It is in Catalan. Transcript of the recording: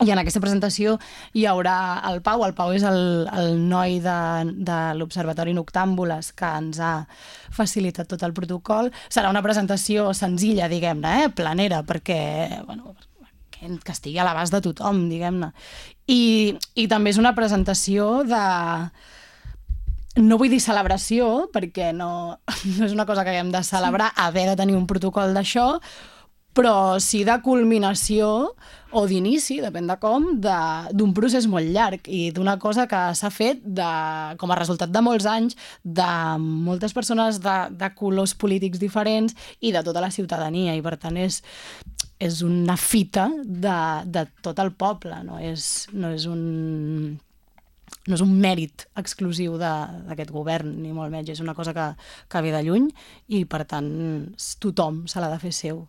I en aquesta presentació hi haurà el Pau és el noi de l'Observatori Noctàmbules que ens ha facilitat tot el protocol. Serà una presentació senzilla, diguem-ne, planera, perquè, bueno, que estigui a l'abast de tothom, diguem-ne. I també és una presentació de... No vull dir celebració, perquè no és una cosa que haguem de celebrar, haver de tenir un protocol d'això, però sí de culminació o d'inici, depèn de com, d'un procés molt llarg i d'una cosa que s'ha fet com a resultat de molts anys, de moltes persones de colors polítics diferents i de tota la ciutadania, i per tant és una fita de tot el poble, no és un mèrit exclusiu d'aquest govern, ni molt menys, és una cosa que ve de lluny i per tant tothom se l'ha de fer seu.